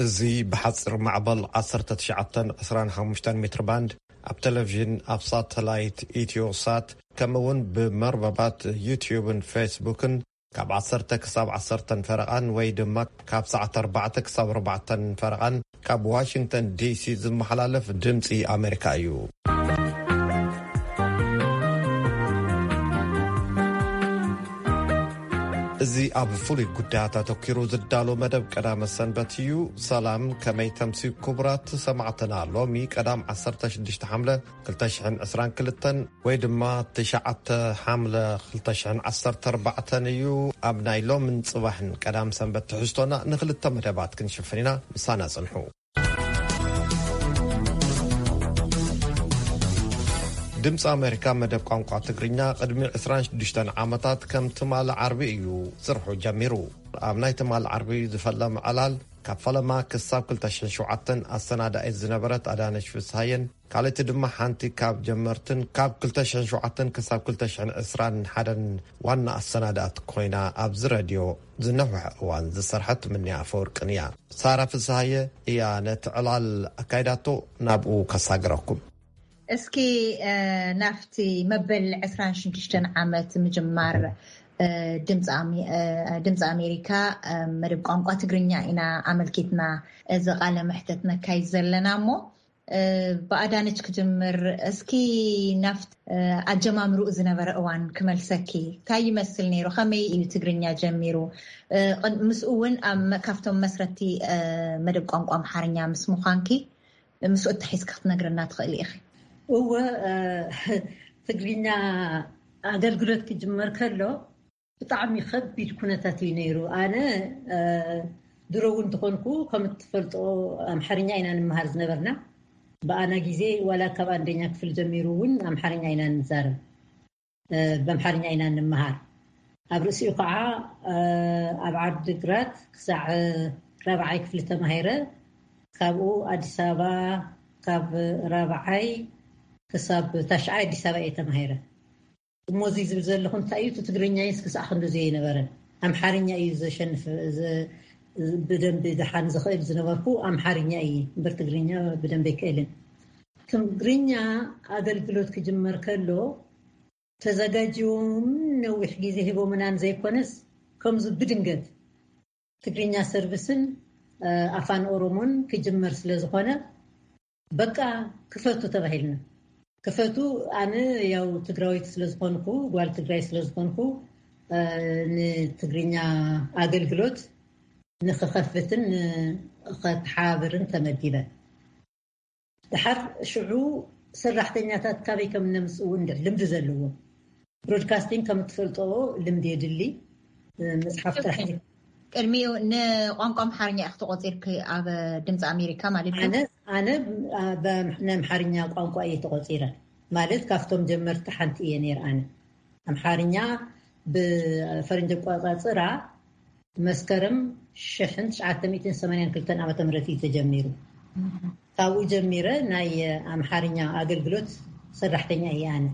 እዚ ብሓፂር ማዕበል ዓሰርተ ትሽዓተ ዕስራን ሓሙሽተን ሜትር ባንድ ኣብ ቴሌቪዥን፣ ኣብ ሳተላይት ኢትዮ ሳት፣ ከምኡ እውን ብመርበባት ዩትዩብን ፌስቡክን ካብ ዓሰርተ ክሳብ ዓሰርተ ፈረቓን ወይ ድማ ካብ ሰዓት ኣርባዕተ ክሳብ ኣርባዕተ ፈረቓን ካብ ዋሽንግተን ዲሲ ዝመሓላለፍ ድምፂ ኣሜሪካ እዩ። እዚ ኣብ ፍሉይ ጉዳያት ኣተኪሩ ዝዳሎ መደብ ቀዳመ ሰንበት እዩ። ሰላም፣ ከመይ ተምሲ ክቡራት ሰማዕትና? ሎሚ ቀዳም ዓሰርተ ሽዱሽተ ሓምለ ክልተ ሽሕን ዕስራን ክልተን ወይ ድማ ትሽዓተ ሓምለ ክልተ ሽሕን ዓሰርተ ኣርባዕተን እዩ። ኣብ ናይ ሎምን ጽባሕን ቀዳም ሰንበት ትሕዝቶና ንክልተ መደባት ክንሽፍን ኢና። ምሳና ጽንሑ። ድምፂ ኣሜሪካ መደብ ቋንቋ ትግርኛ ቅድሚ ዕስራን ሽዱሽተን ዓመታት ከም ትማሊ ዓርቢ እዩ ስርሑ ጀሚሩ። ኣብ ናይ ትማሊ ዓርቢ ዝፈለመ ዕላል ካብ ፈለማ ክሳብ ክልተ ሽሕን ሸውዓተን ኣሰናዳኢት ዝነበረት ኣዳነች ፍስሃየን ካልእቲ ድማ ሓንቲ ካብ ጀመርትን ካብ ክልተ ሽሕን ሸውዓተን ክሳብ ክልተ ሽሕን ዕስራን ሓደን ዋና ኣሰናዳእት ኮይና ኣብዚ ረድዮ ዝነውሐ እዋን ዝሰርሐት ምንያ ኣፈወርቅን እያ። ሳራ ፍስሃየ እያ ነቲ ዕላል ኣካይዳቶ። ናብኡ ከሳግረኩም። እስኪ፣ እ፣ ናብቲ መበል ዕስራን ሽዱሽተን ዓመት ምጅማር፣ እ፣ ድምፂ ኣሜ-፣ እ፣ ድምፂ ኣሜሪካ፣ እ፣ መደብ ቋንቋ ትግርኛ ኢና ኣመልኪትና እዚ ቃለ መሕተት ነካይድ ዘለና እሞ፣ እ፣ ብኣዳነች ክጅምር። እስኪ ናብቲ፣ እ፣ ኣጀማምርኡ ዝነበረ እዋን ክመልሰኪ። እንታይ ይመስል ነይሩ? ከመይ እዩ ትግርኛ ጀሚሩ? እ፣ ቅድ-፣ ምስኡ እውን ኣብ መ-፣ ካብቶም መስረቲ፣ እ፣ መደብ ቋንቋ ኣምሓርኛ ምስ ምዃንኪ፣ ምስኡ እተሒዝካ ክትነግረና ትኽእሊ ኢኺ። እወ፣ እ፣ ትግርኛ ኣገልግሎት ክጅመር ከሎ ብጣዕሚ ከቢድ ኩነታት እዩ ነይሩ። ኣነ፣ እ፣ ድሮ እውን እንተኾንኩ፣ ከም እትፈልጦ፣ ኣምሓርኛ ኢና ንምሃር ዝነበርና። ብኣና ግዜ ዋላ ካብ ኣንደኛ ክፍል ጀሚሩ እውን ኣምሓርኛ ኢና ንዛረብ። እ፣ ብኣምሓርኛ ኢና ንምሃር። ኣብ ርእሲኡ ከዓ፣ እ፣ ኣብ ዓዲግራት ክሳዕ ራብዓይ ክፍሊ ተማሂረ። ካብኡ ኣዲስ ኣበባ፣ ካብ ራብዓይ ክሳብ ታሽዓይ ኣዲስ ኣበባ እየ ተማሂረ። እሞ እዚ ዝብል ዘለኹ እንታይ እዩ፣ እቲ ትግርኛይስ ክሳዕ ክንድዚ ኣይነበረን። ኣምሓርኛ እዩ ዘሸንፍ፣ ዘ-፣ ብደንቢ ደሓን ዝኽእል ዝነበርኩ ኣምሓርኛ እዩ እምበር ትግርኛ ብደንቢ ኣይክእልን። ትግርኛ ኣገልግሎት ክጅመር ከሎ ተዘጋጅዎም ነዊሕ ግዜ ሂቦምናን ዘይኮነስ፣ ከምዚ ብድንገት ትግርኛ ሰርቪስን፣ እ፣ ኣፋን ኦሮሞን ክጅመር ስለ ዝኾነ፣ በቃ ክፈቱ ተባሂልና። ክፈቱ፣ ኣነ ያው ትግራዊት ስለ ዝኾንኩ፣ ጓል ትግራይ ስለ ዝኾንኩ፣ እ፣ ንትግርኛ ኣገልግሎት ንክኸፍትን ንኸተሓባብርን ተመዲበ። ድሓር ሽዑ ሰራሕተኛታት ካበይ ከም እነምጽእ እውን እንድዒ ልምዲ ዘለዎም። ብሮድካስቲንግ ከም እትፈልጦ ልምዲ የድሊ። መጽሓፍ ጥራሕ እዩ። ቅድሚኡ ንቋንቋ ኣምሓርኛ ኢኺ ተቖጺርኪ ኣብ ድምፂ ኣሜሪካ ማለት እዩ? ኣነ፣ ኣነ፣ ብ-፣ ብ-፣ ናይ ኣምሓርኛ ቋንቋ እየ ተቖጺረ። ማለት ካብቶም ጀመርቲ ሓንቲ እየ ነይረ ኣነ። ኣምሓርኛ ብፈረንጂ ኣቆጻጽራ መስከረም ሽሕን ትሽዓተ ሚእትን ሰማንያን ክልተን ዓመተ ምህረት እዩ ተጀሚሩ። ካብኡ ጀሚረ ናይ ኣምሓርኛ ኣገልግሎት ሰራሕተኛ እየ ኣነ።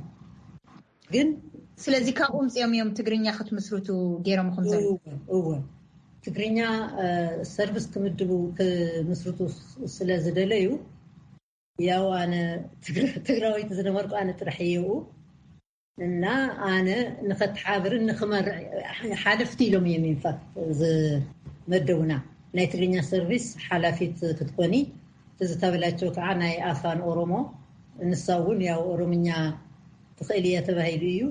ግን ስለዚ ካብኡ ምፅኦም እዮም ትግርኛ ክትምስርቱ ገይሮምኹም ዘሎ? እወ፣ እወ። ትግርኛ፣ እ፣ ሰርቪስ ክምድቡ፣ ክምስርቱ ስ-፣ ስለ ዝደለዩ፣ ያው ኣነ ትግረ-፣ ትግራወይቲ ዝነበርኩ ኣነ ጥራሕ እየ። እና ኣነ ንኸተሓብርን ንኽመርሕ ሓለፍቲ ኢሎም እዮም ኢንፋክት ዝመደቡና። ናይ ትግርኛ ሰርቪስ ሓላፊት ክትኮኒ፣ ትዝታ በላቸው ከዓ ናይ ኣፋን ኦሮሞ፣ ንሳ እውን ያው ኦሮምኛ ትኽእል እያ ተባሂሉ እዩ።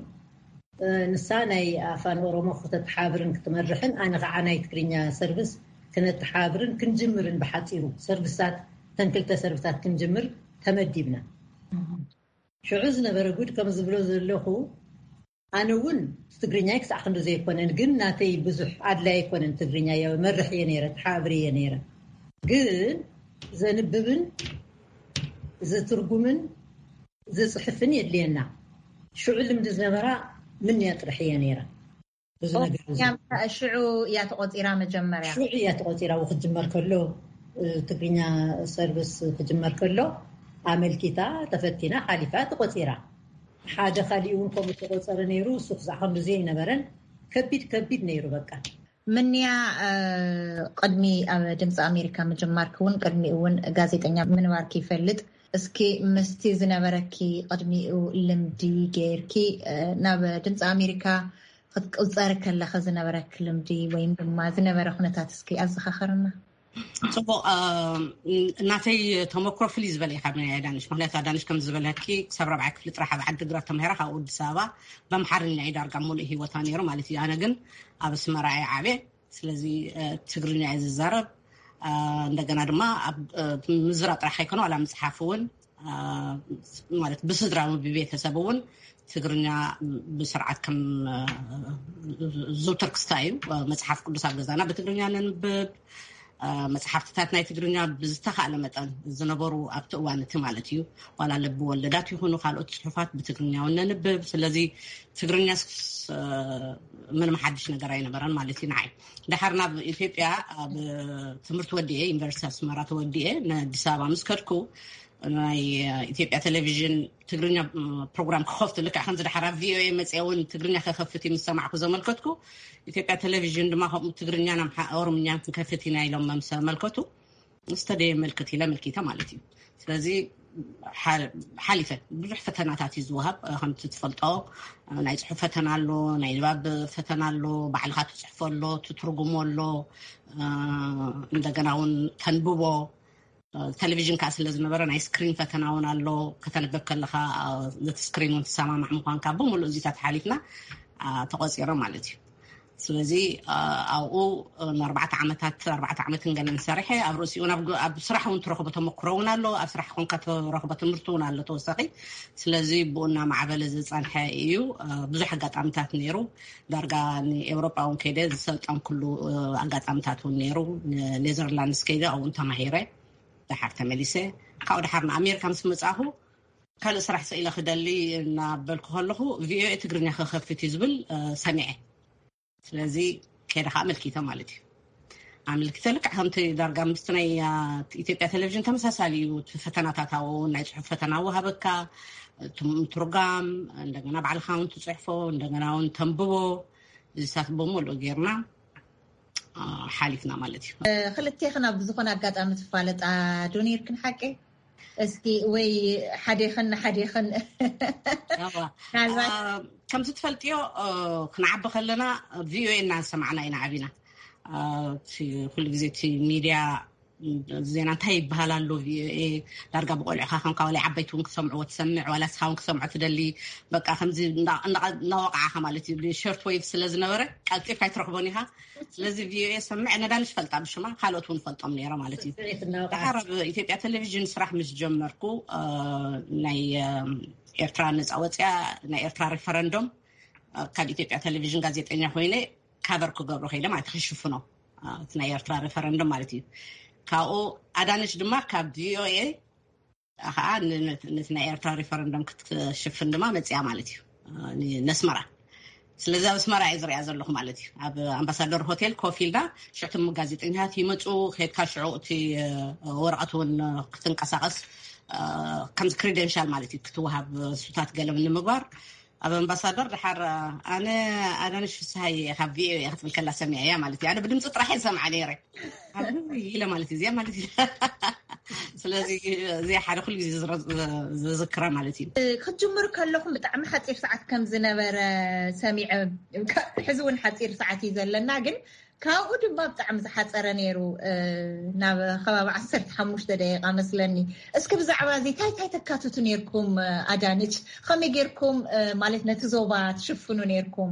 እ፣ ንሳ ናይ ኣፋን ኦሮሞ ክተተሓብርን ክትመርሕን፣ ኣነ ከዓ ናይ ትግርኛ ሰርቪስ ክነተሓብርን ክንጅምርን፣ ብሓፂሩ ሰርቪሳት፣ ተን ክልተ ሰርቪሳት ክንጅምር ተመዲብና። ሽዑ ዝነበረ ጉድ ከም ዝብሎ ዘለኹ፣ ኣነ እውን ትግርኛይ ክሳዕ ክንዲ ዘይኮነን፣ ግን ናተይ ብዙሕ ኣድላይ ኣይኮነን ትግርኛ። ያው መርሕ እየ ነይረ፣ ተሓብር እየ ነይረ። ግን ዘንብብን ዝትርጉምን ዝጽሕፍን የድልየና። ሽዑ ልምዲ ዝነበራ ምንያ ጥራሕ እየ ነይረ። ብዙ ኦ፣ ነገር እዩ። ያም ሽዑ እያ ተቆጺራ መጀመርያ? ሽዑ እያ ተቆጺራ። ክትጅመር ከሎ፣ እ፣ ትግርኛ ሰርቪስ ክጅመር ከሎ ኣመልኪታ፣ ተፈቲና፣ ሓሊፋ፣ ተቆጺራ። ሓደ ካሊእ እውን ከምኡ ተቆጸረ ነይሩ። እሱ ክሳዕ ክንድዚ ኣይነበረን። ከቢድ፣ ከቢድ ነይሩ በቃ። ምንያ፣ ቅድሚ ኣብ ድምፂ ኣሜሪካ ምጅማርኪ እውን፣ ቅድሚኡ እውን ጋዜጠኛ ምንባርኪ ይፈልጥ። እስኪ ምስቲ ዝነበረኪ ቅድሚኡ ልምዲ ገይርኪ ናብ ድምፂ ኣሜሪካ ክትቅፀሪ ከለኺ ዝነበረኪ ልምዲ ወይም ድማ ዝነበረ ኩነታት እስኪ ኣዘኻኸርና። ፅቡቅ። እናተይ ተመክሮ ፍልይ ዝበለ እዩ ካብ ናይ ኣዳንሽ። ምክንያቱ ኣዳንሽ ከም ዝበለኪ ክሳብ ራብዓይ ክፍሊ ጥራሕ ኣብ ዓዲ ግራት ተማሂራ፣ ካብኡ ኣዲስ ኣበባ በምሓርኛ እዩ ዳርጋ ሙሉእ ሂወታ ነይሩ ማለት እዩ። ኣነ ግን ኣብ ኣስመራ እየ ዓብየ። ስለዚ ትግርኛ እየ ዝዛረብ። እንደገና ድማ ኣብ ምዝራብ ጥራሕ ኣይኮነ፣ ዋላ ምፅሓፍ እውን ማለት ብስድራ ብቤተሰብ እውን ትግርኛ ብስርዓት ከም ዝውተር ክስታ እዩ። መፅሓፍ ቅዱስ ኣብ ገዛና ብትግርኛ ነንብብ። መፅሓፍትታት ናይ ትግርኛ ብዝተኻእለ መጠን ዝነበሩ ኣብቲ እዋን እቲ ማለት እዩ፣ ዋላ ልቢ ወለዳት ይኹኑ ካልኦት ፅሑፋት ብትግርኛ እውን ነንብብ። ስለዚ ትግርኛ ምንም ሓድሽ ነገር ኣይነበረን ማለት እዩ ንዓይ። ድሓር ናብ ኢትዮጵያ ኣብ ትምህርቲ ወዲኤ፣ ዩኒቨርሲቲ ኣስመራ ተወዲኤ ንኣዲስ ኣበባ ምስ ከድኩ፣ ናይ ኢትዮጵያ ቴሌቪዥን ትግርኛ ፕሮግራም ክኸፍቱ፣ ልክዕ ከምዚ ድሓር ኣብ ቪኦኤ መፅአ እውን ትግርኛ ከኸፍት እዩ ምስ ሰማዕኩ ዘመልከትኩ፣ ኢትዮጵያ ቴሌቪዥን ድማ ከምኡ ትግርኛን ኦሮምኛን ክንከፍት ኢና ኢሎም ምስ ኣመልከቱ፣ ዝተደየ መልክት ኢለ ኣመልኪተ ማለት እዩ። ስለዚ ሓሊፈ ብዙሕ ፈተናታት እዩ ዝወሃብ። ከምቲ ትፈልጦ ናይ ፅሑፍ ፈተና ኣሎ፣ ናይ ንባብ ፈተና ኣሎ፣ ባዕልካ ትፅሕፎ ኣሎ፣ ትትርጉሞ ኣሎ፣ እንደገና እውን ተንብቦ። ቴሌቪዥን ከዓ ስለ ዝነበረ ናይ ስክሪን ፈተና እውን ኣሎ። ከተንብብ ከለካ ነቲ ስክሪን እውን ትሰማማዕ ምኳንካ ብምሉእ እዚታት ሓሊፍና ተቆፂረ ማለት እዩ። ስለዚ ኣብኡ ንኣርባዕተ ዓመታት፣ ኣርባዕተ ዓመትን ገለን ሰሪሐ፣ ኣብ ርእሲኡ ኣብ ስራሕ እውን ትረኽቦ ተመክሮ እውን ኣሎ፣ ኣብ ስራሕ ኮንካ ትረኽቦ ትምህርቲ እውን ኣሎ ተወሳኺ። ስለዚ ብኡ እናማዕበለ ዝፀንሐ እዩ። ብዙሕ ኣጋጣሚታት ነይሩ። ዳርጋ ንኤውሮጳ እውን ከይደ ዝሰልጠንኩሉ ኣጋጣሚታት እውን ነይሩ። ኔዘርላንድስ ከይደ ኣብኡ ተማሂረ፣ ድሓር ተመሊሰ። ካብኡ ድሓር ንኣሜሪካ ምስ መፃኹ ካልእ ስራሕ ስኢለ ክደሊ እናበልኩ ከለኹ ቪኦኤ ትግርኛ ክኸፍት እዩ ዝብል ሰሚዐ። ስለዚ ከይደ ከዓ ኣመልኪተ ማለት እዩ። ኣመልኪተ ልክዕ ከምቲ ዳርጋ ምስቲ ናይ ኢትዮጵያ ቴሌቪዥን ተመሳሳሊ እዩ። እቲ ፈተናታት ኣብኡ ናይ ፅሑፍ ፈተና ወሃበካ፣ ትርጓም፣ እንደገና ባዕልካ እውን ትፅሕፎ፣ እንደገና እውን ተንብቦ። እዚታት ብምሉእ ጌርና ሓሊፍና ማለት እዩ። ክልቴኽን ኣብ ዝኾነ ኣጋጣሚ ትፋለጣ ዶ ነይርክን ሓቂ? እስኪ ወይ ሓዴኽን ንሓዴኽን ከምዚ ትፈልጥዮ፣ ክንዓቢ ከለና ቪኦኤ እናሰማዕና ኢና ዓቢና። ኩሉ ግዜ እቲ ሚድያ ዜና እንታይ ይበሃል ኣሎ ቪኦኤ፣ ዳርጋ ብቆልዕካ ከምካ ዋላ ዓበይቲ እውን ክሰምዕዎ ትሰምዕ፣ ዋላ ስኻ እውን ክሰምዖ ትደሊ። በቃ ከምዚ እናወቃዕካ ማለት እዩ። ሸርት ወይቭ ስለ ዝነበረ ቀልጢፍካ ኣይትረኽቦን ኢኻ። ስለዚ ቪኦኤ ሰምዕ፣ ነዳንሽ ፈልጣ ብሽማ፣ ካልኦት እውን ፈልጦም ነይረ ማለት እዩ። ድሓር ኣብ ኢትዮጵያ ቴሌቪዥን ስራሕ ምስ ጀመርኩ ናይ ኤርትራ ነፃ ወፅያ ናይ ኤርትራ ሬፈረንዶም ካብ ኢትዮጵያ ቴሌቪዥን ጋዜጠኛ ኮይነ ካቨር ክገብሮ ከይደ ማለት ክሽፍኖ፣ እቲ ናይ ኤርትራ ሬፈረንዶም ማለት እዩ። ካብኡ ኣዳነች ድማ ካብ ቪኦኤ ከዓ ነቲ ናይ ኤርትራ ሬፈረንዶም ክትሽፍን ድማ መፅያ ማለት እዩ ነስመራ። ስለዚ ኣብ ኣስመራ እየ ዝሪኣ ዘለኹ ማለት እዩ። ኣብ ኣምባሳደር ሆቴል ኮፍ ኢልና ሽዕቲ ጋዜጠኛታት ይመፁ፣ ከድካ ሽዑ እቲ ወረቐት እውን ክትንቀሳቀስ ከምዚ ክሪደንሻል ማለት እዩ ክትወሃብ፣ ሱታት ገለም ንምግባር ኣብ ኣምባሳደር ድሓር ኣነ ኣዳነሽ ፍስሃየ ካብ ቪኦኤ ክትብል ከላ ሰሚዐ እያ ማለት እዩ። ኣነ ብድምፂ ጥራሕ እየ ዝሰምዓ ነይረ ኢለ ማለት እዩ። እዚኣ ማለት እዩ። ስለዚ እዚኣ ሓደ ኩሉ ግዜ ዝዝክራ ማለት እዩ። ክትጅምሩ ከለኹም ብጣዕሚ ሓፂር ሰዓት ከም ዝነበረ ሰሚዐ፣ ሕዚ እውን ሓፂር ሰዓት እዩ ዘለና፣ ግን ካብኡ ድማ ብጣዕሚ ዝሓፀረ ነይሩ። ናብ ከባቢ ዓሰርተ ሓሙሽተ ደቂቃ መስለኒ። እስኪ ብዛዕባ እዚ እንታይ እንታይ ተካትቱ ነይርኩም? ኣዳነች፣ ከመይ ጌርኩም ማለት ነቲ ዞባ ትሽፍኑ ነይርኩም?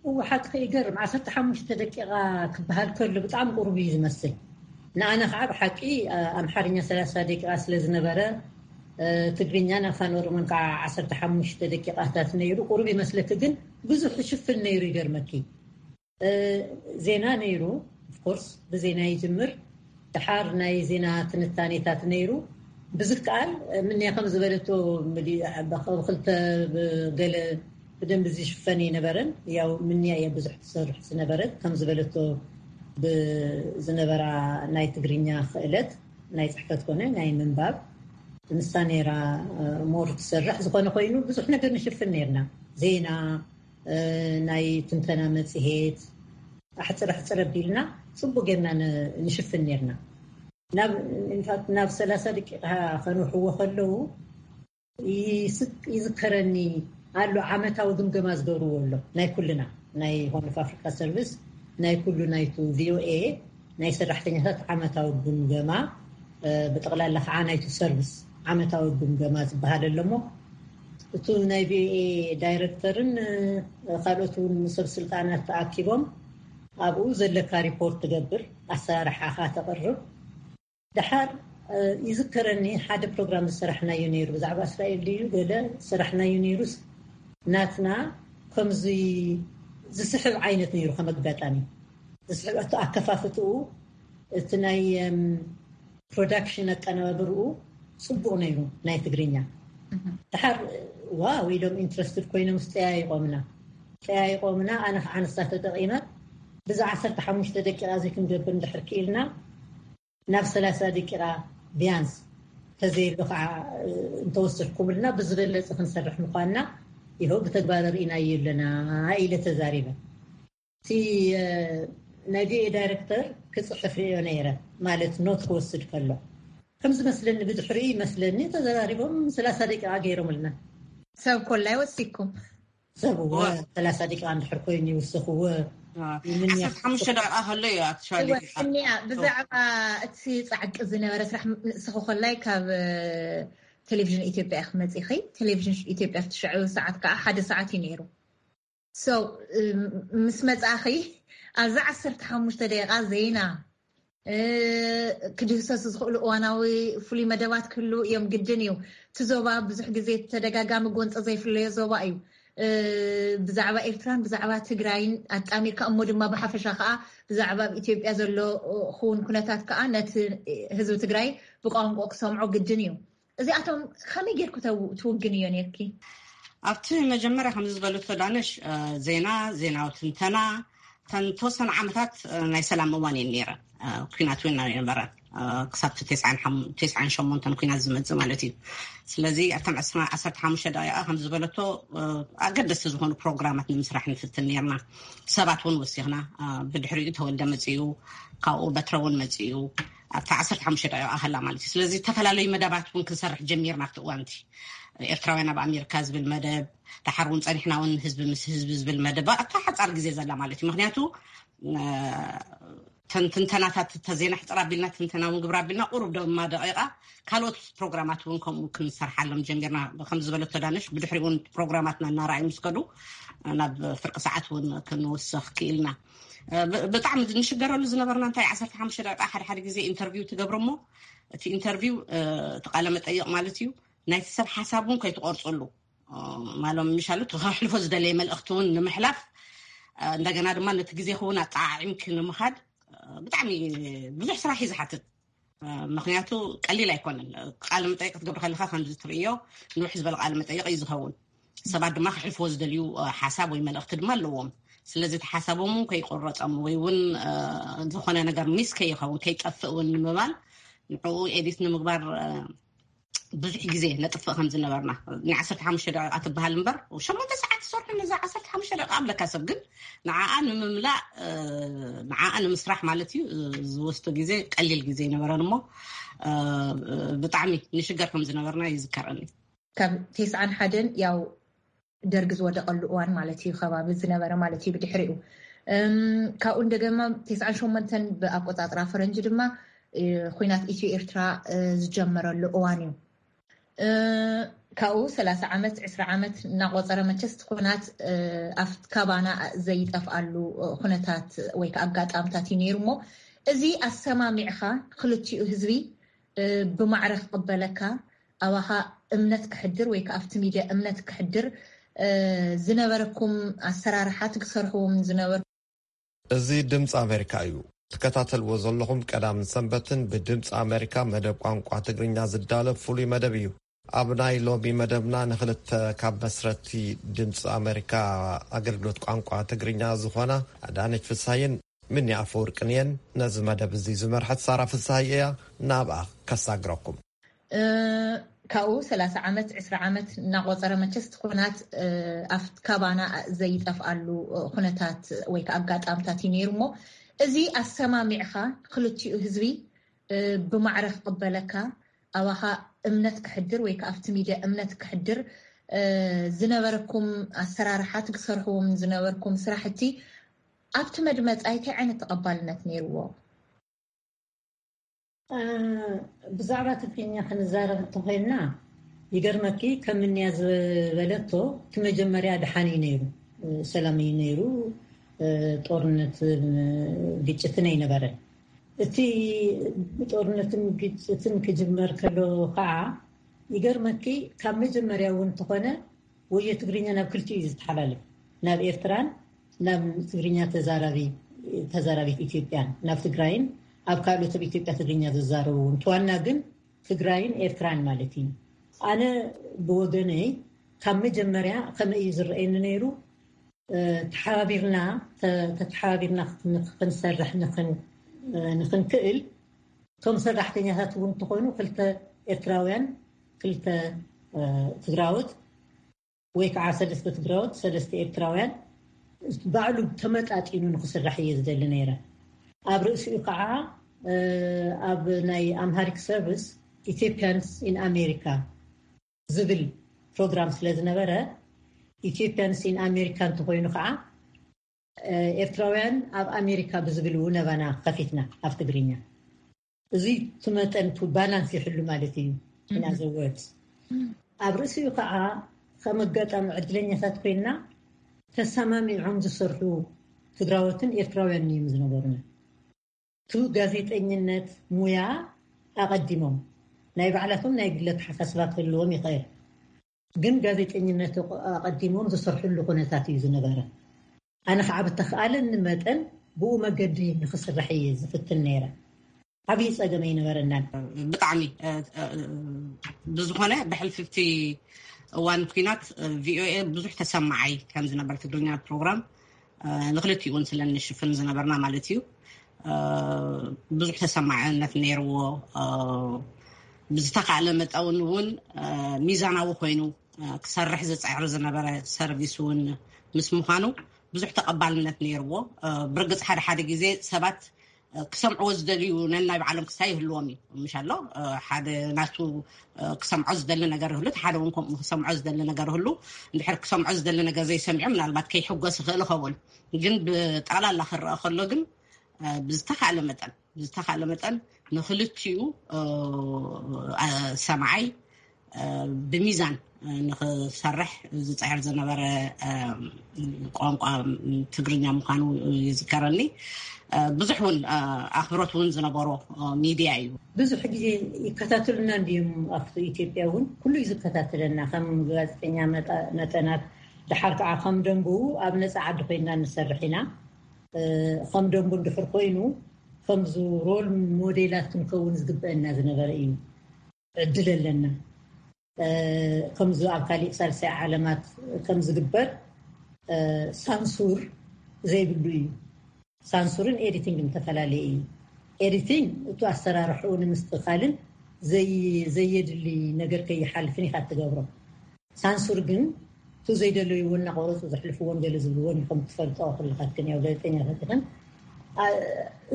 እወ፣ ሓቂ ይገርም። ዓሰርተ ሓሙሽተ ደቂቃ ክበሃል ከሎ ብጣዕሚ ቁሩብ እዩ ዝመስል። ንኣነ ከዓ ብሓቂ ኣምሓርኛ ሰላሳ ደቂቃ ስለ ዝነበረ፣ ትግርኛን ኣፋን ኦሮሞን ከዓ ዓሰርተ ሓሙሽተ ደቂቃታት ነይሩ። ቁሩብ ይመስለኪ፣ ግን ብዙሕ ይሽፍን ነይሩ። ይገርመኪ፣ ዜና ነይሩ። ኦፍኮርስ ብዜና ይጅምር። ድሓር ናይ ዜና ትንታኔታት ነይሩ። ብዝከኣል ምንያ ከም ዝበለቶ፣ ብክልተ ብገለ ብደንቢ ዝሽፈን ይነበረን። ያው ምንያ እየ ብዙሕ ትሰርሕ ዝነበረት፣ ከም ዝበለቶ ብዝነበራ ናይ ትግርኛ ክእለት፣ ናይ ፅሕፈት ኮነ ናይ ምንባብ፣ ንሳ ነይራ ሞር ትሰርሕ። ዝኾነ ኮይኑ ብዙሕ ነገር ንሽፍን ነይርና። ዜና፣ ናይ ትንተና መፅሄት፣ ኣሕፅር ኣሕፅር ኣቢልና ፅቡቅ ጌርና ን- ንሽፍን ኔርና። ናብ ኢንፋክት ናብ ሰላሳ ደቂቃ ከንውሕዎ ከለዉ ይስቅ- ይዝከረኒ ኣሎ። ዓመታዊ ግምገማ ዝገብርዎ ኣሎ፣ ናይ ኩልና፣ ናይ ሆርን ኦፍ ኣፍሪካ ሰርቪስ፣ ናይ ኩሉ ናይቱ ቪኦኤ ናይ ሰራሕተኛታት ዓመታዊ ግምገማ፣ ብጠቕላላ ከዓ ናይቱ ሰርቪስ ዓመታዊ ግምገማ ዝበሃል ኣሎ። እሞ እቱ ናይ ቪኦኤ ዳይረክተርን ካልኦት እውን ሰብ ስልጣናት ተኣኪቦም ኣብኡ ዘለካ ሪፖርት ትገብር፣ ኣሰራርሓኻ ተቕርብ። ደሓር ይዝከረኒ ሓደ ፕሮግራም ዝሰራሕናዮ ነይሩ፣ ብዛዕባ እስራኤል ድዩ ገለ ዝሰራሕናዮ ነይሩስ፣ ናትና ከምዚ ዝስሕብ ዓይነት ነይሩ። ከም ኣጋጣሚ ዝስሕብ ኣቶ ኣከፋፍትኡ፣ እቲ ናይ ፕሮዳክሽን ኣቀነባብርኡ ፅቡቕ ነይሩ፣ ናይ ትግርኛ። ደሓር ዋው ኢሎም ኢንትረስትድ ኮይኖም ጠያይቆምና ጠያይቆምና ኣነ ከዓ ንሳ ተጠቒመ ብዛ ዓሰርተ ሓሙሽተ ደቂቃ እዚ ክንገብር እንድሕር ክኢልና ናብ ሰላሳ ደቂቃ ቢያንስ ተዘይሉ ከዓ እንተወሰድኩምልና ብዝበለፀ ክንሰርሕ ምኳንና ይኸው ብተግባር ርኢናዮ ኣለና ኢለ ተዛሪበ። እቲ ናይ ቪኦኤ ዳይረክተር ክፅሕፍ ሪኦ ነይረ፣ ማለት ኖት ክወስድ ከሎ ከምዚ መስለኒ፣ ብድሕሪ መስለኒ ተዘራሪቦም ሰላሳ ደቂቃ ገይሮምልና። ሰብ ኮላይ ወሲኩም ሰብ እወ ሰላሳ ደቂቃ እንድሕር ኮይኑ ይውስኽዎ። ዓሰርተ ሓሙሽተ ደቂቃ ከሎ እዩ ኣክቹዋሊ እኒያ ብዛዕባ እቲ ፃዕቂ ዝነበረ ስራሕ ንስኹ ኮላይ ካብ ቴሌቪዥን ኢትዮጵያ ክመፂኺ። ቴሌቪዥን ኢትዮጵያ ብትሽዑ ሰዓት ከዓ ሓደ ሰዓት እዩ ነይሩ። ምስ መፃኺ ኣብዚ ዓሰርተ ሓሙሽተ ደቂቃ ዜና ክድህሰሱ ዝኽእሉ እዋናዊ ፍሉይ መደባት ክህሉ እዮም ግድን እዩ። እቲ ዞባ ብዙሕ ግዜ ተደጋጋሚ ጎንፂ ዘይፍለዮ ዞባ እዩ። ብዛዕባ ኤርትራን ብዛዕባ ትግራይን ኣጣሚርካ እሞ ድማ ብሓፈሻ ከዓ ብዛዕባ ኣብ ኢትዮጵያ ዘሎ ክውን ኩነታት ከዓ ነቲ ህዝቢ ትግራይ ብቋንቋ ክሰምዖ ግድን እዩ። እዚኣቶም ከመይ ጌርኩ ትውግን እዮ ነርኪ? ኣብቲ መጀመርያ ከምዚ ዝበለቶ ዳነሽ ዜና ዜናዊ ትንተና ተን ተወሰነ ዓመታት ናይ ሰላም እዋን እየን ነይረን። ኩናት እውን ነበረ ክሳብ ተስዓን ሸሞንተን ኩናት ዝመፅእ ማለት እዩ። ስለዚ ኣብተን ዓሰርተ ሓሙሽተ ደቂቃ ከም ዝበለቶ ኣገደስቲ ዝኾኑ ፕሮግራማት ንምስራሕ ንፍትን ነርና። ሰባት እውን ወሲኽና ብድሕሪኡ ተወልደ መፅኡ፣ ካብኡ በትረ እውን መፅኡ ኣብቲ ዓሰርተ ሓሙሽተ ደቂቃ ሃላ ማለት እዩ። ስለዚ ዝተፈላለዩ መደባት እውን ክንሰርሕ ጀሚርና ኣብቲ እዋንቲ። ኤርትራውያን ኣብ ኣሜሪካ ዝብል መደብ፣ ደሓር እውን ፀኒሕና እውን ህዝቢ ምስ ህዝቢ ዝብል መደብ ኣብታ ሓፃር ግዜ ዘላ ማለት እዩ። ምክንያቱ ተንትንተናታት ተዜና ሕፅር ኣቢልና ትንተና እውን ግብር ኣቢልና ቁሩብ ደማ ደቂቃ ካልኦት ፕሮግራማት እውን ከምኡ ክንሰርሓሎም ጀሚርና። ከም ዝበለቶ ዳነሽ ብድሕሪ እውን ፕሮግራማትና እናረኣዩ ምስ ከዱ ናብ ፍርቂ ሰዓት እውን ክንውስኽ ክኢልና። ብጣዕሚ ንሽገረሉ ዝነበርና እንታይ ዓሰርተ ሓሙሽተ ደቂቃ ሓደ ሓደ ግዜ ኢንተርቪው ትገብሮ እሞ እቲ ኢንተርቪው እቲ ቃለ መጠይቕ ማለት እዩ ናይቲ ሰብ ሓሳብ እውን ከይትቆርፅሉ ማሎም ምሻሉ ተሕልፎ ዝደለየ መልእኽቲ እውን ንምሕላፍ እንደገና ድማ ነቲ ግዜ ክውን ኣጠዓዒምኪ ንምኻድ ብጣዕሚ ብዙሕ ስራሕ እዩ ዝሓትት። ምክንያቱ ቀሊል ኣይኮነን። ቃለ መጠይቅ ክትገብር ከለካ ከምዚ ትርእዮ ንውሕ ዝበለ ቃለ መጠይቅ እዩ ዝኸውን። ሰባት ድማ ክሕልፍዎ ዝደልዩ ሓሳብ ወይ መልእኽቲ ድማ ኣለዎም። ስለዚ እቲ ሓሳቦም እውን ከይቆረፀም ወይ እውን ዝኾነ ነገር ሚስ ከይኸውን ከይጠፍእ እውን ንምባል ንዕኡ ኤዲት ንምግባር ብዙሕ ግዜ ነጥፍእ ከም ዝነበርና ናይ ዓሰርተ ሓሙሽተ ደቂቃ ትበሃል እምበር ሸሞንተ ሰዓት ዝሰርሑ ነዛ ዓሰርተ ሓሙሽተ ደቂቃ ኣብለካ ሰብ ግን ንዓኣ ንምምላእ ንዓኣ ንምስራሕ ማለት እዩ ዝወስዶ ግዜ ቀሊል ግዜ ይነበረን እሞ ብጣዕሚ ንሽገር ከም ዝነበርና ይዝከረኒ። ካብ ቴስዓን ሓደን ያው ደርጊ ዝወደቐሉ እዋን ማለት እዩ ከባቢ ዝነበረ ማለት እዩ። ብድሕሪኡ ካብኡ እንደገማ ቴስዓን ሸሞንተን ብኣቆፃፅራ ፈረንጂ ድማ ኩናት ኢትዮ ኤርትራ ዝጀመረሉ እዋን እዩ። ካብኡ ሰላሳ ዓመት ዕስራ ዓመት እናቆፀረ መቸስ ኩናት ኣብ ካባና ዘይጠፍኣሉ ኩነታት ወይ ከዓ ኣጋጣምታት እዩ ነይሩ እሞ እዚ ኣሰማሚዕካ ክልቲኡ ህዝቢ ብማዕረ ክቕበለካ ኣባኻ እምነት ክሕድር ወይ ከዓ ኣብቲ ሚድያ እምነት ክሕድር ዝነበረኩም ኣሰራርሓ ትሰርሕዎም ዝነበር እዚ ድምፂ ኣሜሪካ እዩ። ትከታተልዎ ዘለኹም ቀዳምን ሰንበትን ብድምፂ ኣሜሪካ መደብ ቋንቋ ትግርኛ ዝዳለብ ፍሉይ መደብ እዩ። ኣብ ናይ ሎሚ መደብና ንክልተ ካብ መስረቲ ድምፂ ኣሜሪካ ኣገልግሎት ቋንቋ ትግርኛ ዝኾና ኣዳነች ፍሳይን ምኒ ኣፈወርቅን እየን። ነዚ መደብ እዚ ዝመርሐት ሳራ ፍሳይ እያ። ናብኣ ከሳግረኩም። ካብኡ ሰላሳ ዓመት፣ ዕስራ ዓመት እናቆፀረ መቸስ እቲ ኩናት፣ እ፣ ኣብቲ ካባና ዘይጠፍኣሉ፣ እ፣ ኩነታት ወይ ከዓ ኣጋጣምታት እዩ ነይሩ። እሞ እዚ ኣሰማሚዕኻ ክልቲኡ ህዝቢ፣ እ፣ ብማዕረ ክቕበለካ፣ ኣባኻ እምነት ክሕድር ወይ ከዓ ኣብቲ ሚድያ እምነት ክሕድር፣ እ፣ ዝነበረኩም ኣሰራርሓ፣ ትሰርሕዎም ዝነበርኩም ስራሕቲ ኣብቲ መድመፃይ እንታይ ዓይነት ተቐባልነት ነይርዎ? እ፣ ብዛዕባ ትግርኛ ክንዛረብ እንተኾይንና፣ ይገርመኪ፣ ከም እንያ ዝበለቶ፣ እቲ መጀመርያ ደሓን እዩ ነይሩ፣ እ፣ ሰላም እዩ ነይሩ፣ እ፣ ጦርነት፣ እ፣ ግጭትን ኣይነበረን። እቲ ጦርነትን ግጭትን ክጅመር ከሎ ከዓ፣ ይገርመኪ፣ ካብ መጀመርያ እውን እንተኾነ፣ ወዮ ትግርኛ ናብ ክልቲኡ እዩ ዝተሓላለፍ፣ ናብ ኤርትራን ናብ ትግርኛ ተዛራቢ-፣ ተዛራቢት ኢትዮጵያን፣ ናብ ትግራይን ኣብ ካልኦት ኣብ ኢትዮጵያ ትግርኛ ዝዛረቡ እውን። እቲ ዋና ግን ትግራይን ኤርትራን ማለት እዩ። ኣነ ብወገነይ፣ ካብ መጀመርያ ከመይ እዩ ዝረኣየኒ ነይሩ? እ፣ ተሓባቢርና፣ ተ-፣ ተተሓባቢርና ን-፣ ክንሰርሕ፣ ንኽን-፣ እ፣ ንኽንክእል፣ እቶም ሰራሕተኛታት እውን እንተኾይኑ፣ ክልተ ኤርትራውያን፣ ክልተ፣ እ፣ ትግራዎት፣ ወይ ከዓ ሰለስተ ትግራዎት፣ ሰለስተ ኤርትራውያን፣ ባዕሉ ተመጣጢኑ ንክስራሕ እየ ዝደሊ ነይረ። ኣብ ርእሲኡ ከዓ፣ እ፣ ኣብ ናይ ኣምሃሪክ ሰርቪስ፣ ኢትዮጵያንስ ኢን ኣሜሪካ ዝብል ፕሮግራም ስለ ዝነበረ፣ ኢትዮጵያንስ ኢን ኣሜሪካ እንተኾይኑ ከዓ፣ እ፣ ኤርትራውያን ኣብ ኣሜሪካ ብዝብል እውን ነባና ከፊትና ኣብ ትግርኛ። እዚ እቲ መጠን፣ እቲ ባላንስ ይሕሉ ማለት እዩ። In other words፣ ኣብ ርእሲኡ ከዓ ከም ኣጋጣሚ ዕድለኛታት ኮይንና፣ ተሰማሚዖም ዝሰርሑ ትግራዎትን ኤርትራውያን እዮም ዝነበሩና። እቲ ጋዜጠኝነት ሙያ ኣቐዲሞም፣ ናይ ባዕላቶም ናይ ግለ ኣተሓሳስባ ክህልዎም ይኽእል፣ ግን ጋዜጠኝነት ኣቐዲሞም ዝሰርሕሉ ኩነታት እዩ ዝነበረ። ኣነ ከዓ ብተኽኣለኒ መጠን ብኡ መገዲ ንክስራሕ እየ ዝፍትን ነይረ። ዓብዪ ፀገም ኣይነበረናን። ብጣዕሚ፣ እ፣ እ፣ ብዝኾነ፣ ብሕልፍቲ እዋን ኩናት፣ እ፣ ቪኦኤ ብዙሕ ተሰማዓይ ከም ዝነበር፣ ትግርኛ ፕሮግራም፣ እ፣ ንክልቲኡ እውን ስለ እንሽፍን ዝነበርና ማለት እዩ። እ፣ ብዙሕ ተሰማዕነት ነይርዎ። እ፣ ብዝተኻእለ መጠን እውን፣ እ፣ ሚዛናዊ ኮይኑ፣ እ፣ ክሰርሕ ዝፅዕር ዝነበረ ሰርቪስ እውን ምስ ምዃኑ ብዙሕ ተቐባልነት ነይርዎ። እ፣ ብርግፅ ሓደ ሓደ ግዜ ሰባት፣ እ፣ ክሰምዕዎ ዝደልዩ ነናይ ባዕሎም ክስታይ ይህልዎም እዩ። ምሽ ኣሎ፣ እ፣ ሓደ ናቱ፣ እ፣ ክሰምዖ ዝደሊ ነገር ይህሉ፣ እቲ ሓደ እውን ከምኡ ክሰምዖ ዝደሊ ነገር ይህሉ። እንድሕር ክሰምዖ ዝደሊ ነገር ዘይሰሚዑ፣ ምናልባት ከይሕጎስ ይኽእል ይኸውን። ግን ብጠቕላላ ክረአ ከሎ ግን፣ እ፣ ብዝተኻእለ መጠን፣ ብዝተኻእለ መጠን ንክልቲኡ፣ እ፣ እ፣ ሰማዓይ፣ እ፣ ብሚዛን፣ እ፣ ንክሰርሕ ዝፅዕር ዝነበረ፣ እ፣ ቋንቋ ትግርኛ ምዃኑ ይዝከረኒ። እ፣ ብዙሕ እውን፣ እ፣ ኣኽብሮት እውን ዝነበሮ፣ እ፣ ሚድያ እዩ። ብዙሕ ግዜ ይከታተሉና እንዲዮም። ኣብቲ ኢትዮጵያ እውን ኩሉ እዩ ዝከታተለና፣ ከም ጋዜጠኛ መጠ-፣ መጠናት። ደሓር ከዓ ከም ደንቡ ኣብ ነፃ ዓዲ ኮይንና ንሰርሕ ኢና። እ፣ ከም ደንቡ እንድሕር ኮይኑ፣ ከምዚ ሮል ሞዴላት ክንከውን ዝግበአና ዝነበረ እዩ። ዕድል ኣለና። እ፣ ከምዚ ኣብ ካሊእ ሳልሳይ ዓለማት ከም ዝግበር፣ እ፣ ሳንሱር ዘይብሉ እዩ። ሳንሱርን ኤዲቲንግን ዝተፈላለየ እዩ። ኤዲቲንግ፣ እቲ ኣሰራርሕኡ ንምስትኻልን ዘይ-፣ ዘየድሊ ነገር ከይሓልፍን ኢኻ ትገብሮ። ሳንሱር ግን፣ እቲ ዘይደለይዎ እናቆረፁ ዘሕልፍዎን ገለ ዝብልዎን እዩ። ከም ትፈልጦ፣ ኩልኻትክን ያው ጋዜጠኛታት ኢኽን። አ፣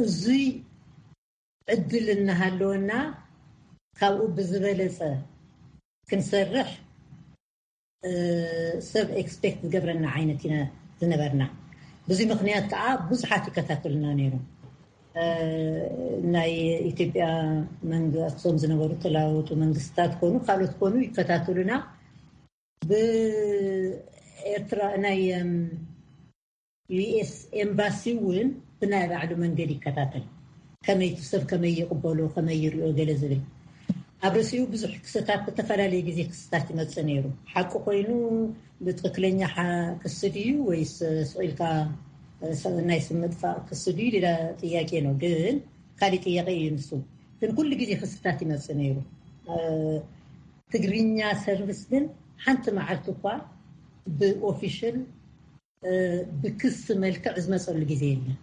እዙይ ዕድል እናሃለወና፣ ካብኡ ብዝበለፀ ክንሰርሕ፣ እ፣ ሰብ ኤክስፔክት ዝገብረና ዓይነት ኢና ዝነበርና። ብዙ ምኽንያት ከዓ ብዙሓት ይከታተሉና ነይሮም። እ፣ ናይ ኢትዮጵያ መንግ-፣ ኣብቶም ዝነበሩ ተለዋወጡ መንግስታት ኮኑ፣ ካልኦት ኮኑ ይከታተሉና። ብኤርትራ ናይ፣ እም፣ ዩ ኤስ ኤምባሲ እውን ብናይ ባዕሉ መንገዲ ይከታተል። ከመይ እቲ ሰብ ከመይ ይቕበሎ፣ ከመይ ይሪኦ፣ ገለ ዝብል። ኣብ ርእሲኡ ብዙሕ ክስታት፣ ብተፈላለየ ግዜ ክስታት ይመጽእ ነይሩ። ሓቂ ኮይኑ ብትኽክለኛ ሓ-፣ ክሲ ድዩ ወይስ ስቕ ኢልካ፣ እ፣ ሰ-፣ ናይ ስም ምጥፋእ ክሲ ድዩ ሌላ ጥያቄ ነው። ግን ካሊእ ጥያቄ እዩ ንሱ። ግን ኩሉ ግዜ ክስታት ይመጽእ ነይሩ። እ፣ ትግርኛ ሰርቪስ ግን ሓንቲ መዓልቲ እኳ ብኦፊሽል፣ እ፣ ብክሲ መልክዕ ዝመጸሉ ግዜ የለን።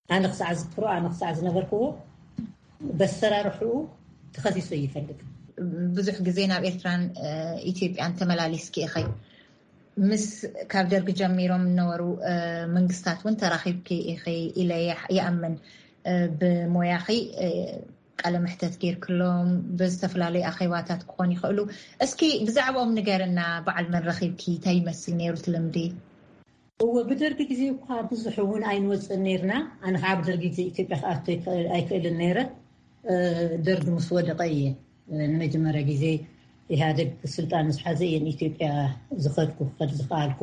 ኣነ ክሳዕ ዝክሮ፣ ኣነ ክሳዕ ዝነበርክዎ፣ በሰራርሕኡ ተኸሲሱ ይፈልግ። ብዙሕ ግዜ ናብ ኤርትራን ኢትዮጵያን ተመላሊስኪ ኢኺ። ምስ ካብ ደርጊ ጀሚሮም ዝነበሩ መንግስታት እውን ተራኺብኪ ኢኺ ኢለ ይኣምን። ብሞያኺ ቃለ መሕተት ጌርክሎም ብዝተፈላለዩ ኣኼባታት ክኾኑ ይኽእሉ። እስኪ ብዛዕባኦም ንገርና። በዓል መን ረኺብኪ? እንታይ ይመስል ነይሩ እቲ ልምዲ? እወ፣ ብደርጊ ግዜ እኳ ብዙሕ እውን ኣይንወፅእን ነይርና። ኣነ ከዓ ብደርጊ ግዜ ኢትዮጵያ ክኣቱ ኣይክእልን ነይረ። ደርጊ ምስ ወደቐ እየ ንመጀመርያ ግዜ ኢህኣደግ ስልጣን ምስ ሓዘ እየ ንኢትዮጵያ ዝኸድኩ፣ ክኸድ ዝኸኣልኩ።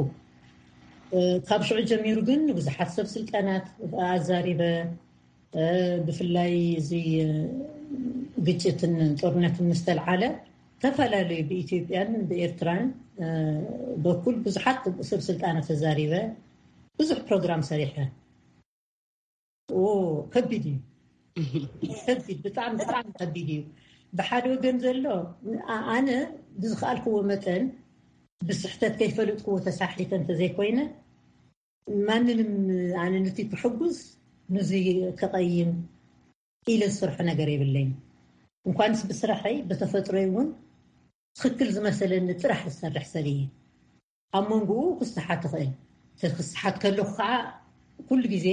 ካብ ሽዑ ጀሚሩ ግን ብዙሓት ሰብ ስልጣናት ኣዛሪበ፣ ብፍላይ እዚ ግጭትን ጦርነትን ምስተልዓለ ዝተፈላለዩ ብኢትዮጵያን ብኤርትራን በኩል ብዙሓት ሰብ ስልጣናት ተዛሪበ፣ ብዙሕ ፕሮግራም ሰሪሐ። ከቢድ እዩ። ከቢድ፣ ብጣዕሚ ብጣዕሚ ከቢድ እዩ። ብሓደ ወገን ዘሎ ኣነ ብዝኸኣልክዎ መጠን ብስሕተት ከይፈለጥክዎ ተሳሒተ እንተዘይኮይነ፣ ማንንም ኣነ ነቲ ክሕጉዝ ንዚ ከቐይም ኢለ ዝሰርሖ ነገር የብለይን። እንኳንስ ብስራሐይ ብተፈጥሮይ እውን ትኽክል ዝመሰለኒ ጥራሕ ዝሰርሕ ሰብ እየ። ኣብ መንጎኡ ክስሓት ትኽእል። ክስሓት ከለኹ ከዓ ኩሉ ግዜ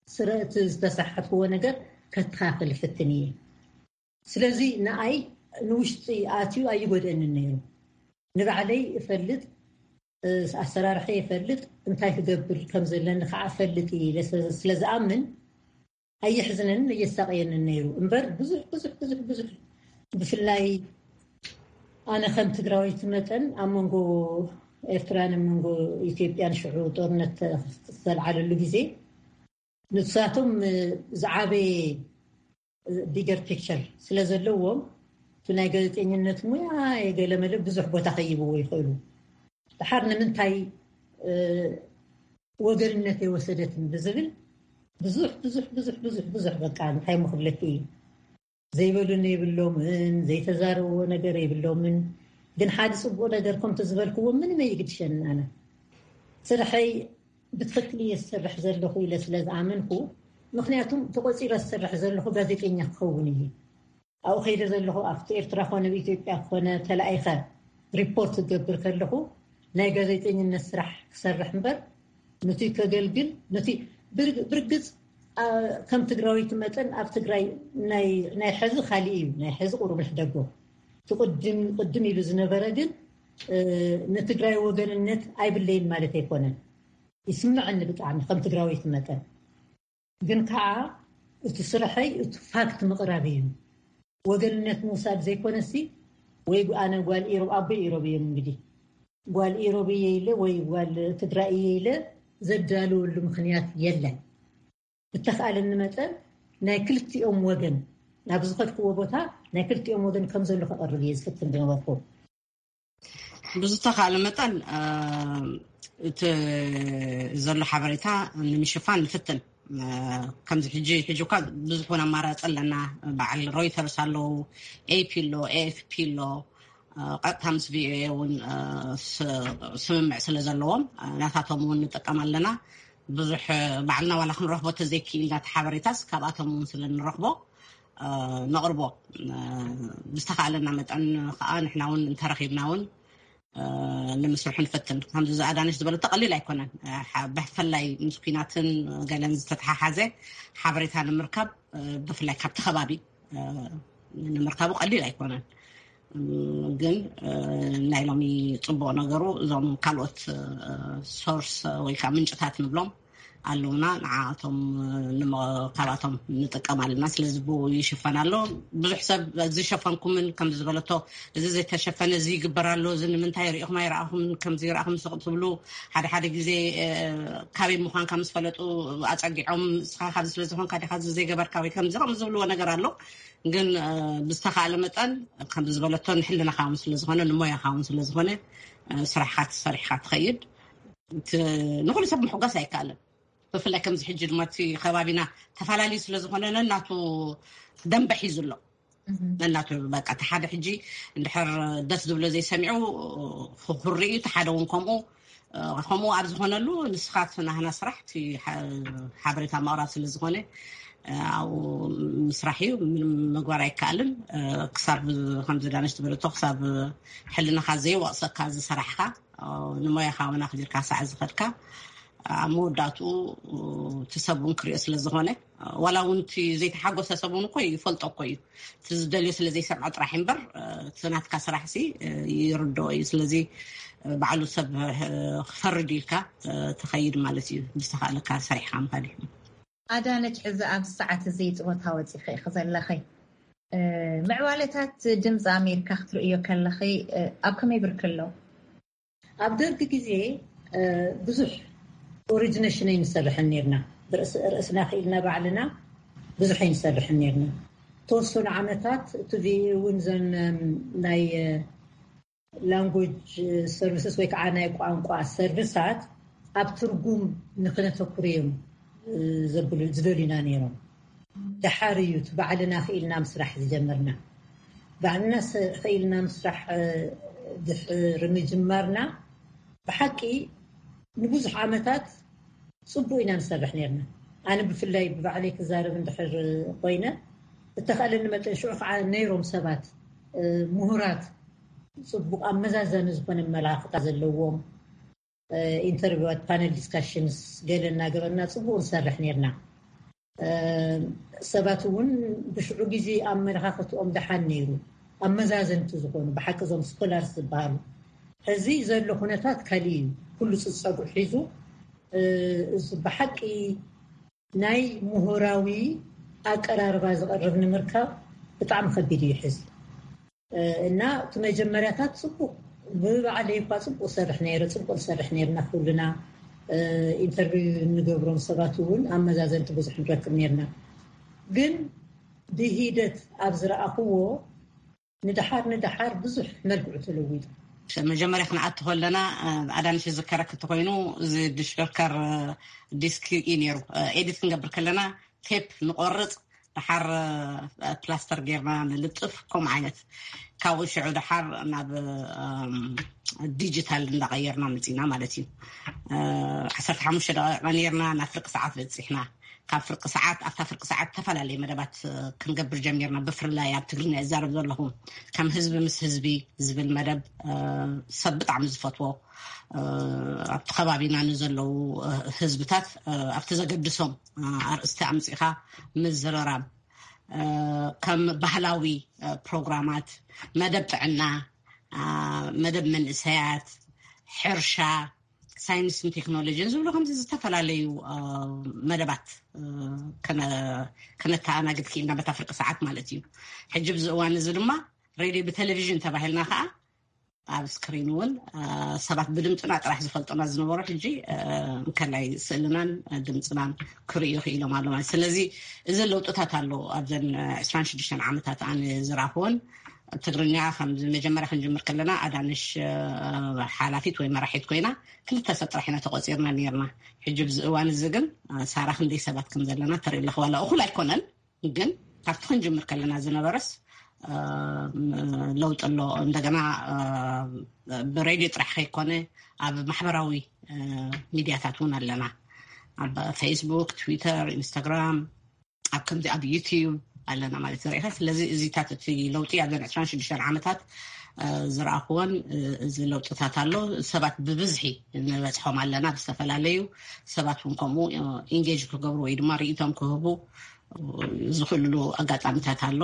ስረ እቲ ዝተሳሓትክዎ ነገር ከስተኻኽል ይፍትን እየ። ስለዚ ንኣይ ንውሽጢ ኣትዩ ኣይጎድአንን ነይሩ። ንባዕለይ እፈልጥ፣ ኣሰራርሐ ይፈልጥ፣ እንታይ ክገብር ከም ዘለኒ ከዓ እፈልጥ እየ ኢለ ስለ ዝኣምን ኣየሕዝነንን ኣየሳቀየንን ነይሩ። እምበር ብዙሕ ብዙሕ ብዙሕ ብዙሕ ብፍላይ ኣነ ከም ትግራወይቲ መጠን ኣብ መንጎ ኤርትራን ኣብ መንጎ ኢትዮጵያን ሽዑ ጦርነት ዝተልዓለሉ ግዜ ንሳቶም ዝዓበየ ቢገር ፒክቸር ስለ ዘለዎም እቲ ናይ ጋዜጠኝነት ሙያ የገለመለ ብዙሕ ቦታ ከይብዎ ይኽእሉ። ድሓር ንምንታይ ወገንነት የወሰደትን ብዝብል ብዙሕ ብዙሕ ብዙሕ ብዙሕ ብዙሕ በቃ እንታይ ምክብለኪ እዩ ዘይበሉኒ የብሎምን፣ ዘይተዛረብዎ ነገር የብሎምን። ግን ሓደ ፅቡቅ ነገር ከምቲ ዝበልክዎ ምንም ኣይግድሸንን። ኣነ ስርሐይ ብትክክል እየ ዝሰርሕ ዘለኹ ኢለ ስለ ዝኣመንኩ፣ ምክንያቱም ተቆፂረ ዝሰርሕ ዘለኹ ጋዜጠኛ ክኸውን እየ። ኣብኡ ከይደ ዘለኹ ኣብቲ ኤርትራ ኮነ ኣብ ኢትዮጵያ ኮነ ተላኢኸ ሪፖርት ክገብር ከለኹ ናይ ጋዜጠኝነት ስራሕ ክሰርሕ እምበር ነቲ ከገልግል ነቲ ብርግፅ ከም ትግራዊት መጠን ኣብ ትግራይ ናይ ሕዚ ካሊእ እዩ። ናይ ሕዚ ቁሩብ ንሕደጎ እቲ ቅድም ቅድም ኢሉ ዝነበረ ግን ንትግራይ ወገንነት ኣይብለይን ማለት ኣይኮነን። ይስምዐኒ ብጣዕሚ ከም ትግራዊት መጠን። ግን ከዓ እቲ ስርሐይ እቲ ፋክት ምቕራብ እዩ። ወገንነት ምውሳድ ዘይኮነሲ ወይ ኣነ ጓል ኢሮብ ኣቦይ ኢሮብ እዮም እንግዲህ ጓል ኢሮብ እየ ኢለ ወይ ጓል ትግራይ እየ ኢለ ዘዳልወሉ ምክንያት የለን። ብተኻእለኒ መጠን ናይ ክልቲኦም ወገን ናብ ዝኸድክዎ ቦታ ናይ ክልቲኦም ወገን ከም ዘሎ ከቐርብ እየ ዝፍትን ዝነበርኩ። ብዝተኻእለ መጠን እቲ ዘሎ ሓበሬታ ንምሽፋን ንፍትን። ከምዚ ሕጂ ሕጂ እኳ ብዙሕ እውን ኣማራፂ ኣለና። በዓል ሮይተርስ ኣለዉ፣ ኤፒ ኣሎ፣ ኤኤፍፒ ኣሎ። ቀጥታ ምስ ቪኦኤ እውን ስምምዕ ስለ ዘለዎም ናታቶም እውን ንጥቀም ኣለና። ብዙሕ ባዕልና ዋላ ክንረኽቦ ተዘይክኢልና እቲ ሓበሬታስ ካብኣቶም እውን ስለ ንረኽቦ ነቕርቦ። ብዝተኻእለና መጠን ከዓ ንሕና እውን እንተረኺብና እውን ንምስርሑ ንፈትን። ከምዚ ዝኣዳነሽ ዝበለቶ ቀሊል ኣይኮነን። ብፍላይ ምስ ኩናትን ገለን ዝተተሓሓዘ ሓበሬታ ንምርካብ ብፍላይ ካብቲ ከባቢ ንምርካቡ ቀሊል ኣይኮነን። ግን ናይ ሎሚ ፅቡቅ ነገሩ እዞም ካልኦት ሶርስ ወይ ከዓ ምንጭታት ንብሎም ኣለውና። ንዓኣቶም ካብኣቶም ንጥቀም ኣለና። ስለዚ ብኡ ይሽፈን ኣሎ። ብዙሕ ሰብ ዝሸፈንኩምን ከም ዝበለቶ እዚ ዘይተሸፈነ እዚ ይግበር ኣሎ፣ እዚ ንምንታይ ሪኢኹም ኣይረኣኹምን፣ ከምዚ ይረኣኹም ስቕ ትብሉ ሓደ ሓደ ግዜ ካበይ ምዃንካ ምስ ፈለጡ ኣፀጊዖም እስኻ ካብዚ ስለ ዝኾንካ ዲኻ እዚ ዘይገበርካ ወይ ከምዚ ከም ዝብልዎ ነገር ኣሎ። ግን ብዝተኻእለ መጠን ከምዚ ዝበለቶ ንሕልናኻ እውን ስለዝኾነ ንሞያኻ እውን ስለዝኾነ ስራሕካ ተሰሪሕካ ትኸይድ። ንኩሉ ሰብ ምሕጓስ ኣይከኣልን። ብፍላይ ከምዚ ሕጂ ድማ እቲ ከባቢና ተፈላለዩ ስለዝኾነ ነናቱ ደንበ ሒዙ ኣሎ። ነናቱ በቃ እቲ ሓደ ሕጂ እንድሕር ደስ ዝብሎ ዘይሰሚዑ ክኩሪ እዩ፣ እቲ ሓደ እውን ከምኡ። ከምኡ ኣብ ዝኾነሉ ንስኻ ናህና ስራሕ እቲ ሓበሬታ ምቕራብ ስለዝኾነ ኣብኡ ምስራሕ እዩ። ምንም ምግባር ኣይከኣልን። ክሳብ ከምዚ ዳነሽ ትበለቶ ክሳብ ሕልናኻ ዘይወቕሰካ ዝሰራሕካ፣ ንሞያኻ እውን ኣኽቢርካ ሳዕ ዝኸድካ፣ ኣብ መወዳእትኡ እቲ ሰብ እውን ክሪኦ ስለ ዝኾነ፣ ዋላ እውን እቲ ዘይተሓጎሰ ሰብ እውን እኮ ይፈልጦ እኮ እዩ። እቲ ዝደልዮ ስለ ዘይሰምዖ ጥራሕ እምበር፣ እቲ ናትካ ስራሕሲ ይርድኦ እዩ። ስለዚ ባዕሉ ሰብ ክፈርድ ኢልካ ትኸይድ ማለት እዩ። ብዝተኻእለካ ሰሪሕካ ምኻድ እዩ። ኣዳነች፣ ሕዚ ኣብዚ ሰዓት እዚ ጡረታ ወፂኺ ኢኺ ዘለኺ። ምዕባለታት ድምፂ ኣሜሪካ ክትርእዮ ከለኺ ኣብ ከመይ ብርኪ ኣሎ? ኣብ ደርጊ ግዜ ብዙሕ ኦሪጂኔሽን ኣይንሰርሕን ነርና። ርእስና ክኢልና ባዕልና ብዙሕ ኣይንሰርሕን ነርና። ተወሰኑ ዓመታት እቲ ቪኤ እውን ዘን ናይ ላንጉጅ ሰርቪስስ ወይ ከዓ ናይ ቋንቋ ሰርቪሳት ኣብ ትርጉም ንክነተኩር እዮም ዝደልዩና ነይሮም። ደሓር እዩ እቲ ባዕልና ክኢልና ምስራሕ ዝጀመርና። ባዕልና ክኢልና ምስራሕ ድሕሪ ምጅማርና ብሓቂ ንብዙሕ ዓመታት ፅቡቅ ኢና ንሰርሕ ነርና። ኣነ ብፍላይ ብባዕለይ ክዛረብ እንድሕር ኮይነ፣ እተኸእለኒ መጠን ሽዑ ከዓ ነይሮም ሰባት ምሁራት፣ ፅቡቅ ኣመዛዛኒ ዝኾነ መላክታ ዘለዎም ኢንተርቪዋት፣ ፓነል ዲስካሽንስ ገለ እናገበርና ፅቡቅ ንሰርሕ ነርና። ሰባት እውን ብሽዑ ግዜ ኣመለኻኸትኦም ደሓን ነይሩ። ኣመዛዘንቲ ዝኾኑ ብሓቂ እዞም ስኮላርስ ዝበሃሉ። ሕዚ ዘሎ ኩነታት ካሊእ እዩ። ኩሉ ፅፀጉ ሒዙ፣ እዚ ብሓቂ ናይ ምሁራዊ ኣቀራርባ ዝቐርብ ንምርካብ ብጣዕሚ ከቢድ እዩ ሕዚ። እና እቲ መጀመርያታት ፅቡቅ፣ ብባዕለይ እኳ ፅቡቅ ሰርሕ ነይረ፣ ፅቡቅ ንሰርሕ ነርና። ኩልና ኢንተርቪው እንገብሮም ሰባት እውን ኣመዛዘንቲ ብዙሕ ንረክብ ነርና። ግን ብሂደት ኣብ ዝረኣኽዎ ንድሓር ንድሓር ብዙሕ መልክዑ ተለዊጡ። መጀመርያ ክንኣቲ ከለና ኣዳንሽ ዝከረክ እንተኮይኑ፣ እዚ ድሽከርከር ዲስክ እዩ ነይሩ። ኤዲት ክንገብር ከለና ቴፕ ንቆርፅ፣ ድሓር ፕላስተር ጌርና ንልጥፍ። ከምኡ ዓይነት ካብኡ ሽዑ ድሓር ናብ ዲጂታል እንዳቀየርና መፂና ማለት እዩ። ዓሰርተ ሓሙሽተ ደቂቃ ነርና ናብ ፍርቂ ሰዓት በፂሕና። ካብ ፍርቂ ሰዓት፣ ኣብታ ፍርቂ ሰዓት ዝተፈላለዩ መደባት ክንገብር ጀሚርና። ብፍላይ ኣብ ትግርኛ ይዛረብ ዘለኹ ከም ህዝቢ ምስ ህዝቢ ዝብል መደብ ሰብ ብጣዕሚ ዝፈትዎ፣ ኣብቲ ከባቢና ንዘለዉ ህዝብታት ኣብቲ ዘገድሶም ኣርእስቲ ኣምፂኻ ምዝርራብ፣ ከም ባህላዊ ፕሮግራማት፣ መደብ ጥዕና፣ መደብ መንእሰያት፣ ሕርሻ፣ ሳይንስን ቴክኖሎጂን ዝብሉ ከምዚ ዝተፈላለዩ መደባት ከነተኣናግድ ክኢልና በታ ፍርቂ ሰዓት ማለት እዩ። ሕጂ ብዚ እዋን እዚ ድማ ሬድዮ ብቴሌቪዥን ተባሂልና ከዓ ኣብ ስክሪን እውን ሰባት ብድምፅና ጥራሕ ዝፈልጡና ዝነበሩ ሕጂ እንከላይ ስእልናን ድምፅናን ክርእዩ ክኢሎም ኣሎ ማለት። ስለዚ እዚ ለውጥታት ኣሎ ኣብዘን ዕስራን ሽዱሽተን ዓመታት ኣነ ዝረኣኽዎን። ትግርኛ ከም መጀመርያ ክንጅምር ከለና ኣዳንሽ ሓላፊት ወይ መራሒት ኮይና ክልተ ሰብ ጥራሕ ኢና ተቆፂርና ነርና። ሕጂ ብዚ እዋን እዚ ግን ሳራ ክንደይ ሰባት ከም ዘለና ተርኢ ኣለኽ። ዋላ እኹል ኣይኮነን፣ ግን ካብቲ ክንጅምር ከለና ዝነበረስ ለውጢ ኣሎ። እንደገና ብሬድዮ ጥራሕ ከይኮነ ኣብ ማሕበራዊ ሚድያታት እውን ኣለና። ኣብ ፌስቡክ፣ ትዊተር፣ ኢንስታግራም፣ ኣብ ከምዚ ኣብ ዩቲዩብ ኣለና ማለት ዝረኢኻ። ስለዚ እዚታት እቲ ለውጢ ኣብዘን ዕስራን ሽዱሽተን ዓመታት ዝረኣኽዎን እዚ ለውጥታት ኣሎ። ሰባት ብብዝሒ ንበፅሖም ኣለና። ብዝተፈላለዩ ሰባት እውን ከምኡ ኢንጌጅ ክገብሩ ወይ ድማ ርእይቶም ክህቡ ዝኽእልሉ ኣጋጣሚታት ኣሎ።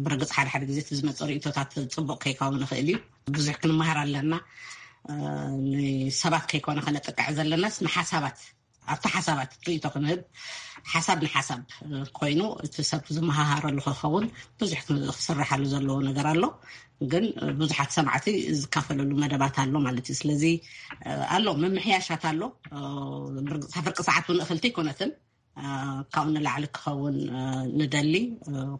ብርግፅ ሓደ ሓደ ግዜ እቲ ዝመፅእ ርእይቶታት ፅቡቅ ከይከውን ይኽእል እዩ። ብዙሕ ክንመሃር ኣለና። ንሰባት ከይኮነ ከነጥቅዕ ዘለናስ ንሓሳባት፣ ኣብቲ ሓሳባት ርእይቶ ክንህብ፣ ሓሳብ ንሓሳብ ኮይኑ እቲ ሰብ ዝመሃሃረሉ ክኸውን ብዙሕ ክስርሓሉ ዘለዎ ነገር ኣሎ። ግን ብዙሓት ሰማዕቲ ዝካፈለሉ መደባት ኣሎ ማለት እዩ። ስለዚ ኣሎ፣ ምምሕያሻት ኣሎ። ብርግፅ ፍርቂ ሰዓት እውን እኽልቲ ኣይኮነትን። ካብኡ ንላዕሊ ክኸውን ንደሊ።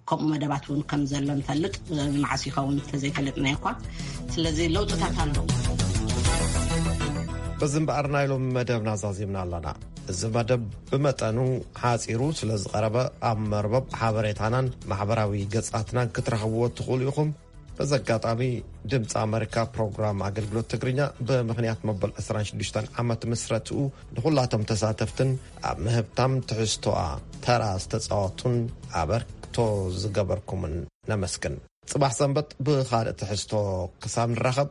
ከምኡ መደባት እውን ከም ዘሎ ንፈልጥ፣ ንመዓስ ይኸውን እንተዘይፈለጥናዮ እኳ። ስለዚ ለውጥታት ኣሎ። በዚ እምበኣር ናይ ሎሚ መደብና ዛዚምና ኣለና። እዚ መደብ ብመጠኑ ሓጺሩ ስለ ዝቐረበ፣ ኣብ መርበብ ሓበሬታናን ማሕበራዊ ገጻትናን ክትረኽብዎ ትኽእሉ ኢኹም። በዚ ኣጋጣሚ ድምፂ ኣመሪካ ፕሮግራም ኣገልግሎት ትግርኛ ብምኽንያት መበል ዕስራን ሽዱሽተን ዓመት ምስረትኡ ንኹላቶም ተሳተፍትን ኣብ ምህብታም ትሕዝቶኣ ተራ ዝተፃወቱን ኣበርክቶ ዝገበርኩምን ነመስግን። ፅባሕ ሰንበት ብኻልእ ትሕዝቶ ክሳብ ንራኸብ